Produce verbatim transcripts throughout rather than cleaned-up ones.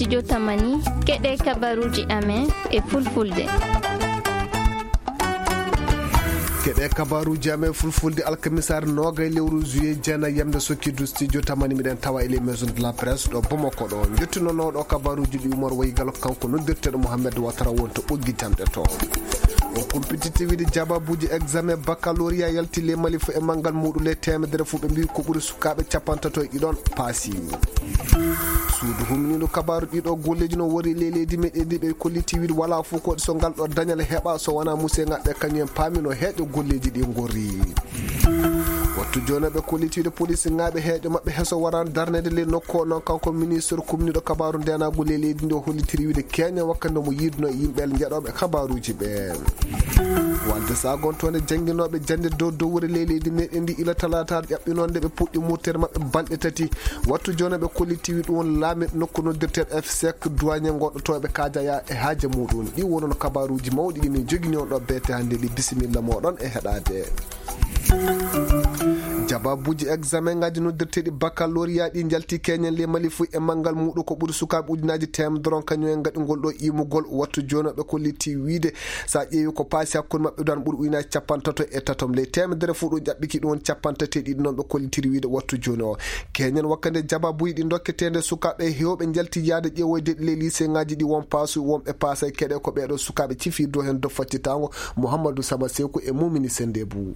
Studio Tamani, keɗe kabaruuji amen e fulfulde. Keɗe kabaruuji amen fulfulde alkamisaare noogay lewru juillet jeenay yamde sokkidu Studio Tamani miɗen tawa e les maisons de la presse ɗo Bamako ɗo. Njettunonooɗo kabaruuji ɗi Umar Wayi Galo kanko noddirteeɗo Mohamed Watara wonto ɓoggi jamɗe to. O kumpititi wiide jababuuji examen baccalauréat yalti le Mali fu e manngal muuɗum le teemedere fu ɓe mbii ko ɓuri sukaaɓe capantato e ɗiɗon paasi. Suudu humniiɗo kabaaru ɗiɗo golleeji no wori le leydi meɗen ndi ɓe kolliti wiide wala fof ko so ngal ɗo dañal heɓa so wona muse ngaɓɓe kañum en paami no heeƴo golleeji ɗi ngorri. Wattu jooni ɓe kolliti wiide police ngaaɓe heeƴo maɓɓe heso waran darnede le nokku o noon kanko ministre kumniiɗo kabaaru ndenaagu le leydi ndi o hollitiri wiide keña wakkati mo yiiduno e yimɓe njeɗooɓe kabaaruuji ɓe. Walde sagontoonde jannginooɓe jannde dow dowre le leydi meɗen ndi ila talaata ƴaɓɓinoonde ɓe puɗɗi murtere maɓɓe balɗe tati. Wattu jooni ɓe kolliti wiide ɗum won laamiɗo nokku noddirteeɗo F sec duwañe goɗɗotooɓe kaajaya e haaje muɗum. Ɗi wonono kabaaruuji mawɗi ɗi min jogini on ɗo beete hannde ɗi bisimilla moɗon e heɗaade. Jababuuji examen ngaji noddirteeɗi baccalauréat ɗi njalti keñen le Mali fu e manngal muɗum ko ɓuri sukaaɓe ujunaaji teemedere on kañum en ngaɗi ngol ɗo imugol. Wattu jooni ɓe kolliti wiide so a ƴeewi ko paasi hakkunde maɓɓe ɗon ɓuri ujunaaji capantato e tatom ley teemedere fu ɗum ƴaɓɓiki ɗum woni capantati e ɗiɗi noon ɓe kollitiri wiide wattu jooni o. Keñen wakkande jababuuji ɗi dokketeende sukaaɓe heewɓe njalti yaade ƴeewoyde ɗi le lycée ngaji ɗi won paasu wonɓe paasay keɗe ko ɓeeɗo sukaaɓe cifi dow heen dow faccitaango Mouhamadou Sama Seku e Mumini Sendebu.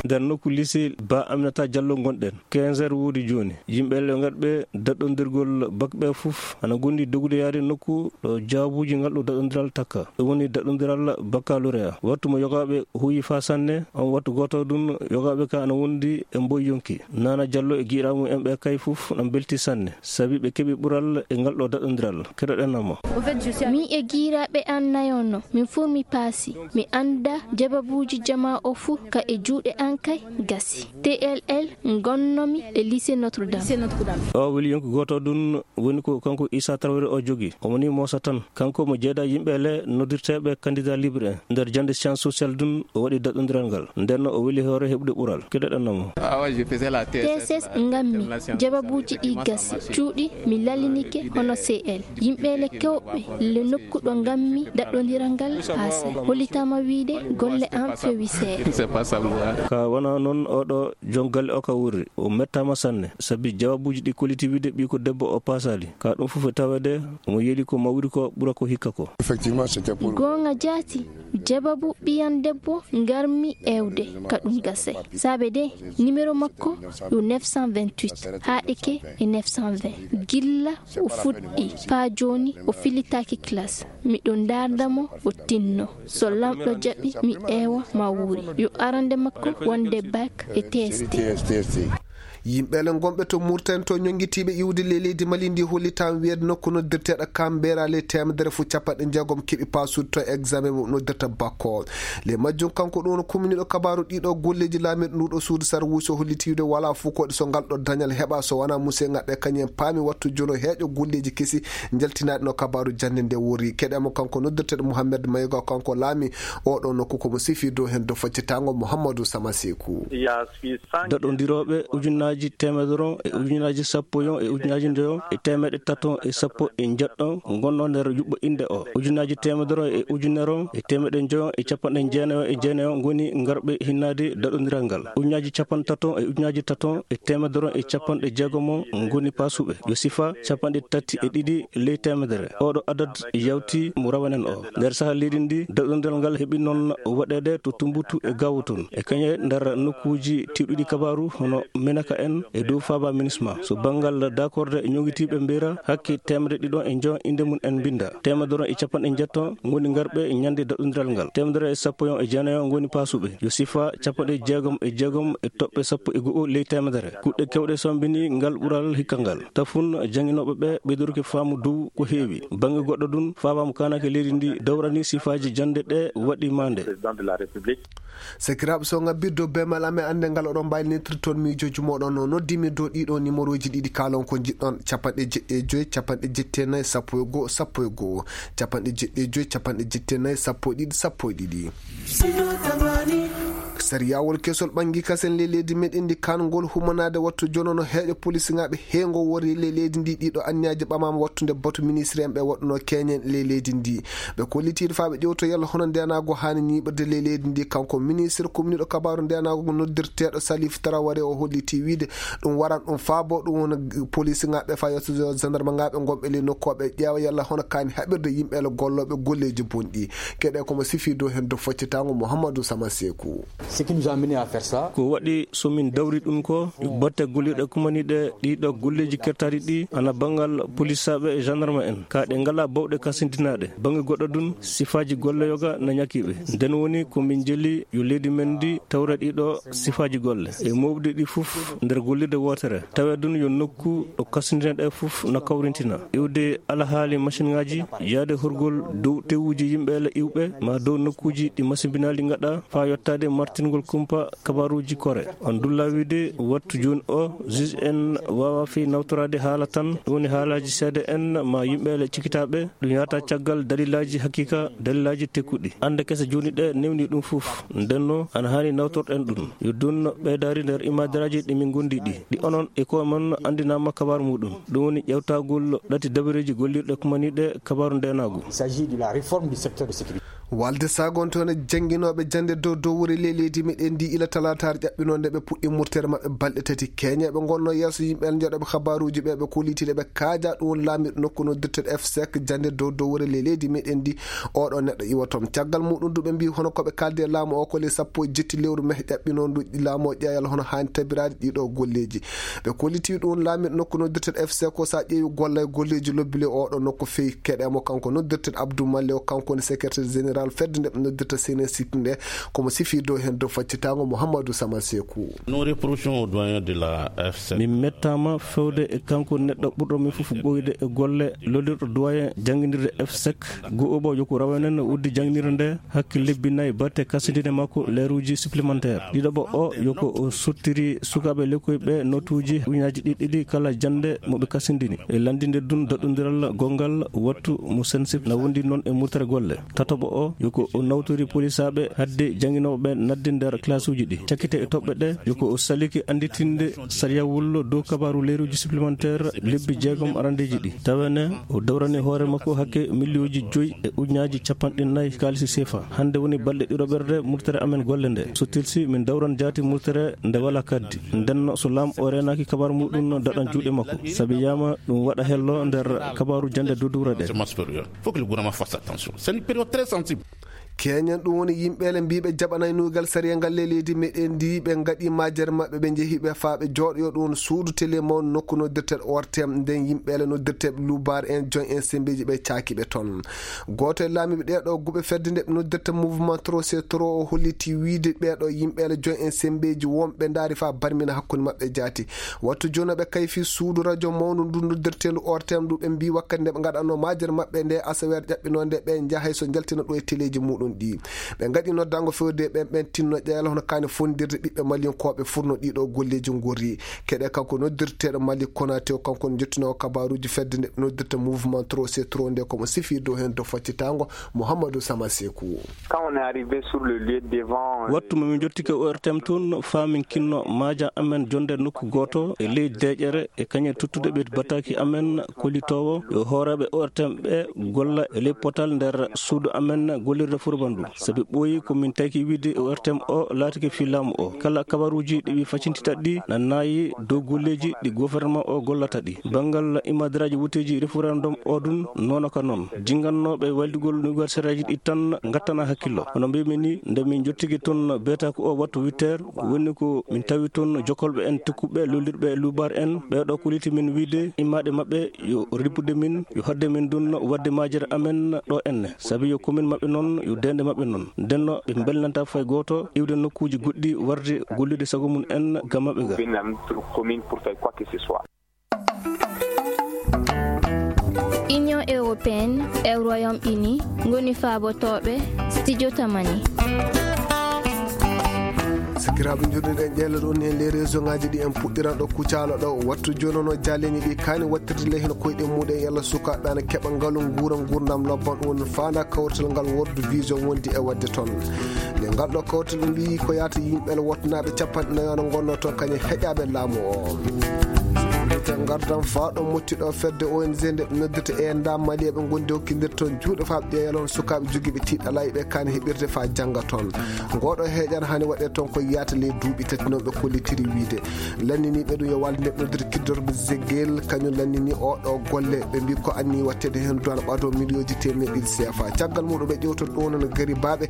Nder nokku lycée Ba Aminata Diallo ngonɗen, quinze heures woodi jooni. Yimɓe le ngarɓe daɗɗondirgol bak ɓe fof ana gondi dogude yaade nokku ɗo jaabuuji ngal ɗo daɗɗondiral takka. Ɗum woni daɗɗondiral baccalauréat. Wattu mo yogaaɓe huuyi faa sanne, on wattu gooto ɗum yogaaɓe ka ana wondi e mboy yonki. Nana Diallo e giɗaamu en ɓe kay fof na mbelti sanne, sabi ɓe keɓi ɓural e ngal ɗo daɗɗondiral. Keɗoɗen mo. Mi e giɗaaɓe an nayo no, min fof mi paasi. Mi annda jababuuji jamaa o fof ka e juuɗe an kay gasi. T L L ngonnomi e lycée Notre Dame. O weli yonki gooto ɗum woni ko kanko Issa Traoré o jogi. Omo ni moosa tan. Kanko mo jeeda yimɓe le noddirteeɓe candidat libre en. Nder jannde science sociale ɗum o waɗi daɗɗondiral ngal. Nden no o weli hoore heɓude ɓural. Keɗoɗen mo. T S S ngammi jababuuji ɗi gasi. Cuuɗi mi lalinike hono C L. Yimɓe le kewɓe le nokku ɗo ngammi daɗɗondiral ngal paase. Hollitaama wiide golle am fewi seeɗa. Ka wona noon oɗo Jon galle o ka wurri, o mettaama sanne, sabi jawabuuji ɗi kolliti wiide ɓiy ko debbo o paasaali. Ka ɗum fof e taweede, omo yeeli ko mawri ko ɓura ko hikka ko. Effectivement, c'était pour Goonga jaati, jababu ɓiyan debbo ngarmi ewde ka ɗum gase. Saabe de, numéro makko yo neuf cent vingt-huit, haaɗike e neuf cent vingt. Gilla o fuɗɗi, paa jooni o filitaaki classe. Miɗo ndaarda mo, o tinno. So Laamɗo jaɓi, mi eewa ma wuuri. Yo arande makko wonde bac e T S T. Yimɓe le gonɓe to Mauritanie to ñonngitiiɓe iwde le leydi Mali ndi hollitaan wiyeede nokku noddirteeɗo Kambera le teemedere fu capanɗe jeegom keɓi paasude to examen mo noddirta bac o. Le majjum kanko ɗum no kuminiiɗo kabaaru ɗiɗo golleeji laamiiɗo nduɗo suudu sarwuusi o hollitiiwde wala fof koɗi so ngal ɗo dañal heɓa so wona muse ngaɓɓe kañum en paami wattu jono heeƴo golleeji kesi njaltinaaɗi no kabaaru jannde nde wori. Keɗe mo kanko noddirteeɗo Mouhamed Mayga kanko laami oɗo nokku komo sifi dow heen dow faccitaango Mouhamadou Sama Seku. Daɗondirooɓe ujunaaji teemedere e ujunaaji sappo e ujunaaji njoyo e teemeɗe tato e sappo e njeɗɗo ngonno nder yuɓɓo innde o. Ujunaaji teemedere e ujunere e teemeɗe njoyo e capanɗe jeenayo e jeenayo ngoni ngarɓe hinnaade daɗondiral ngal. Ujunaaji capanɗe tato e ujunaaji tato e teemedere e capanɗe jeegomo ngoni paasuɓe. Yo sifa capanɗe tati e ɗiɗi ley teemedere. Oɗo adad yawti mo rawanen o. Nder saha leydi ndi, daɗondiral ngal heɓi noon waɗeede to Tumbutu e Gawutun. E kañe nder nokkuuji tiwɗiɗi kabaaru hono Menaka en e dow Faaba Minisma. So banngal dakorde e ñoŋitiiɓe mbiyra hakke teemedere ɗiɗo e njo innde mum en mbinnda. Teemedere e capanɗe njeɗto ngoni ngarɓe ñande daɗondiral ngal. Teemedere e sappo e jeenayo ngoni paasuɓe. Yo sifa capanɗe jeegom e jeegom e toɓɓe sappo e go'o ley teemedere. Kuɗɗe kewɗe sombini ngal ɓural hikka ngal. Tafun jannginooɓe ɓe ɓeydorke faamu dow ko heewi. Bannge goɗɗo ɗum, Faaba mo kaanake leydi ndi dawrani sifaaji jannde ɗe waɗi maande. Sakiraaɓe, so ngabbirde dow beemal amen, annde ngal oɗon mbaawi neentirde toon miijooji mooɗon. No noddimi dow ɗiɗo numéroji ɗiɗi, kaalon ko njiɗɗon, capanɗe jeɗɗi e joy, capanɗe jeɗɗi e nayi, sappo e go'o, sappo e go'o, capanɗe jeɗɗi e joy, capanɗe jeɗɗi e nayi, sappo e ɗiɗi, sappo e ɗiɗi. Sariyawol kesol ɓangi kasen ley leydi meɗen ndi, kangol humanaade wattu jonono heeƴo polisingaɓe heengo wori ley leydi ndi. Ɗiɗo anniyaji ɓamama wattude batu ministre en ɓe waɗuno keñen ley leydi ndi. Ɓe kollitiiɗo faa ɓe ƴewto yalla hono ndenago haani ñiiɓirde ley leydi ndi. Kanko ministre komniɗo kabaru ndenago noddirteeɗo Salif Traoré o holliti wiide ɗum waran ɗum faabo ɗum wona polisingaɓe faa yottude gendarme ngaɓe gonɓe ley nokku o ɓe ƴeewa yalla hono kaani haɓirde yimɓe le gollooɓe golleeji bonɗi. Keɗe komo sifi dow heen dow faccitango Mouhamadou Sama Seku. Ce qui nous a mené à faire ça. Ko waɗi so min dawri ɗum ko batte gollirɗe kumaniɗe ɗiɗo golleeji kertaɗi ɗi ana banngal polisaaɓe e gendarme en ka ɗe ngala bawɗe kasindinaɗe. Bannge goɗɗo ɗum sifaaji golle yoga na ñakiɓe. Nden woni ko min jeli yo leydi men ndi tawre ɗiɗo sifaaji golle e mawɗi ɗi fof nder gollirde wootere. Tawe ɗum yo nokku ɗo kasindinaɗe fof na kawrintina. Iwde alahaali machine ngaji, yaade horgol dow tewuji yimɓe le iwɓe ma dow nokkuji ɗi masimbinaali ngaɗa faa yottaade martingol kumpa kabaruuji kore. On dulla wiide wattu jooni o juge en waawa fii nawtoraade haala tan, ɗum woni haalaaji seede en ma yimɓe le cikitaaɓe, ɗum yahata caggal dalilaaji hakiika, dalilaaji tekkuɗi. Annde kese jooni ɗe newni ɗum fof. Ndenno ana haani nawtorɗen ɗum. Yo ɗum ɓeydaari nder imaadaraaji ɗi min ngondi ɗi. Ɗi onon e ko mon anndinaama kabaru muɗum. Ɗum woni ƴewtagol ɗati dabareeji gollirɗe kumaniiɗe kabaru ndenaagu. Il s'agit de la réforme du secteur de sécurité. Walde sagonto ne jannginooɓe jannde dow dow wuri ley leydi meɗen ndi ila talaataare ƴaɓɓinoonde ɓe puɗɗi murtere maɓɓe balɗe tati. Keñeeɓe ngonno yeeso yimɓe en joɗoɓe kabaruuji ɓe ɓe kollitiiɗe ɓe kaaja ɗum woni laamirɗo nokku noddirteɗo F sec jannde dow dow wuri ley leydi meɗen ndi. Oɗo neɗɗo iwa toon. Caggal muɗum du ɓe mbi hono ko ɓe kaldi e laamu o ko ley sappo e jetti lewru meh ƴaɓɓinoondu laamu o ƴeeyal hono haani tabiraade ɗiɗo golleeji. Ɓe kolliti ɗum laamirɗo nokku noddirteɗo F C ko sa ƴeewi golla e golleeji lobbi le oɗo nokku feyi keɗe mo kanko noddirteɗo Abdou Malle o kanko woni secrétaire général fedde nde ɓe noddirta C N S I P nde. Komo sifi dow heen dow faccitango Mouhamadou Sama Sekou. Nous reprochons au doyen de la F C. Min mettaama fewde e kanko neɗɗo ɓurɗo min fof ɓooyde e golle lollirɗo doyen jannginirde F sec. Go'oɓo yo ko rawanen uddi jannginirde nde hakke lebbi nayi batte kasindine makko leeruuji supplémentaire. Ɗiɗoɓo o yo ko o sottiri sukaaɓe lekkoy ɓe notuuji ujunnaaji ɗiɗi kala jannde mo ɓe kasindini. E lanndinde ɗum daɗɗondiral gonngal wattu mo C N S I P na wondi noon e murtere golle. Tatoɓo o yo ko o nawtori polisaaɓe hadde jannginooɓe ɓe nadde nder classe uji ɗi. Cakkite e toɓɓe ɗe yo ko o saliki annditinde sariyawol dow kabaru leeruuji supplémentaire lebbi jeegom arandeeji ɗi. Tawa ne o dawrani hoore makko hakke miliyooji joyi e ujunnaaji capanɗe nayi kaalisi sefa. Hannde woni balɗe ɗiɗoɓerde murtere amen golle nde. So tilsi min dawran jaati murtere nde wala kaddi. Ndenno so laam o reenaaki kabaru muɗum daɗan juuɗe makko. Sabi yama ɗum waɗa hello nder kabaru jannde dudure ɗe. Faut que le gouvernement fasse attention. C'est une période très sensible. Keñen ɗum woni yimɓe le mbiɓe jaɓanay nugal sariya ngal le leydi meɗen ndi ɓe ngaɗi majere maɓɓe ɓe njehi ɓe faa ɓe jooɗoyo ɗum woni suudu télé mawɗo nokku noddirteɗo O R T M nden yimɓe le noddirteɓe lubar en joñ en sembeji ɓe caaki ɓe toon. Gooto e laamiiɓe ɗeeɗo guɓe fedde nde ɓe noddirta mouvement trop c'est trop o holliti wiide ɓeeɗo yimɓe le joñ en sembeji wonɓe ndaari faa barmina hakkunde maɓɓe jaati. Wattu jooni ɓe kayfi suudu radio mawndu ndu noddirteendu O R T M ndu ɓe mbi wakkati nde ɓe ngaɗanno majere maɓɓe nde asaweere ƴaɓɓinoo nde ɓe njahay so njaltina ɗo e teleeji muɗum ɗi. Ɓe ngaɗi noddango fewde ɓen ɓen tinno ƴeela hono kaani fondirde ɓiɓɓe maliyankooɓe furno ɗiɗo golleeji ngorri. Keɗe kanko noddirteeɗo Mali Konaté o kanko njottino kabaruuji fedde nde noddirta mouvement trop c'est trop nde komo sifi dow heen dow faccitango Mouhamadou Sama Sekou. Quand on est arrivé sur le lieu devant, euh, wattu mo min jottike O R T M tun faa min kinno maaja amen jonde nokku gooto e ley deeƴere e kañe tuttude ɓe bataki amen kollitoowo yo hooreeɓe O R T M ɓe golla e ley potal nder suudu amen gollirde furbandu. Sabi ɓooyi ko min tawki wiide O R T M o laatike fii laamu o. Kala kabaruuji ɗi wi facintita ɗi na naayi dow golleeji ɗi gouvernement o gollata ɗi. Banngal imadiraaji wuteeji référendum o ɗun noona ka noon. Jinngannooɓe waylugol anniversaire aji ɗi tan ngattana hakkillo. Hono mbiymi ni, nde min njottiki toon beetaku o wattu huit heures, woni ko min tawi toon jokkolɓe en, tekkuɓe, lollirɓe e luubaare en. Ɓee ɗoo kolliti min wiide immaade maɓɓe yo rippude min, yo haɗde min ɗun waɗde majere amen ɗo enne. Sabi yo commune maɓɓe noon, yo deende maɓɓe noon. Ndenno ɓe mbelnantaa fay gooto iwde nokkuuji goɗɗi warde gollude sago mum en ga maɓɓe ga. Union européenne e Royaume-Uni ngoni faabotooɓe Studio Tamani. Sakiraaɓe, njoɗɗinɗen ƴeele ɗon heen les région ŋaaji ɗi en puɗɗiran ɗo Kucala ɗo. Wattu jooni no jaaleni ɗi kaani wattirde ley heen koyɗe muɗen yalla sukaaɓe ana keɓa ngalu nguura nguurndam lobban ɗum faanda kawrital ngal World Vision wondi e waɗde toon. Nde ngal ɗo kawrital ɓe mbiyi ko yaata yimɓe le wottanaaɓe capanɗe nayo no ngonnoo toon kañum heƴaaɓe laamu o. Te ngardam faa ɗo motti ɗo fedde O N G nde ɓe noddirta e nda Mali eɓe ngondi hokkindir toon juuɗe faa ɓe ƴeewa yalla on sukaaɓe jogiiɓe tiiɗalaaji ɓe kaani heɓirde faa jannga toon. Ngooɗo heeƴan hani waɗee toon ko yaata ley duuɓi tati noon ɓe kollitiri wiide. Lanniniiɓe ɗum yo walde nde ɓe noddirta kiddorɓe Zegel, kañum lannini o ɗo golle. Ɓe mbi ko anni watteede heen duwan ɓaato miliyooji teemedde ɗiɗi C F A. Caggal muɗum ɓe ƴewta ɗo noon gari baaɓe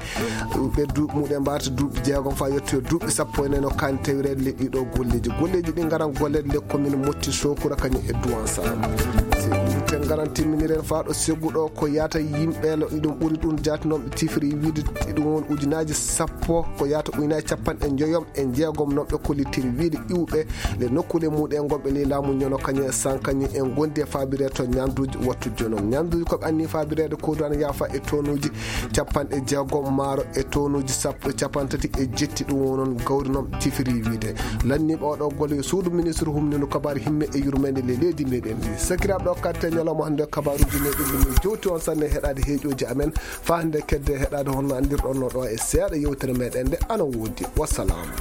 ɓe duuɓi muɗen mbaata duuɓi jeegom faa yettoyo duuɓi sappo e nayi no kaani tawireede le ɗiɗo golleeji. Golleeji ɗi ngaran golleede le commune Motti Sokura kañum e Duwansa. Te ngaran timminiren faa ɗo segu ɗo ko yaata yimɓe le ɗum ɓuri ɗum jaati noon ɓe tifiri wiide ɗum won ujunaaji sappo ko yaata ujunaaji capanɗe njoyom e jeegom noon ɓe kollitiri wiide iwɓe le nokkuule muɗen gonɓe ley laamu ñono kañum e san kañum en gondi e faabire to ñanduuji wattu jonom. Ñanduuji ko ɓe anni faabireede ko duwan yaafa e tonuuji capanɗe jeegom maaro e tonuuji sappo e capantati e jetti ɗum wonon gawri noon tifiri wiide. Lanniiɓe oɗo golle yo suudu ministre humnino kabaar himme e yurmeende le leydi meɗen ndi. Sakiraaɓe ɗo katte ñalawma hannde kabaaruuji meɗen ɗum min jowti on sanne heɗaade heeƴooji amen faa hannde kedde heɗaade honno anndirɗon no ɗo e seeɗa yewtere meɗen nde ana woodi. Wassalaamu.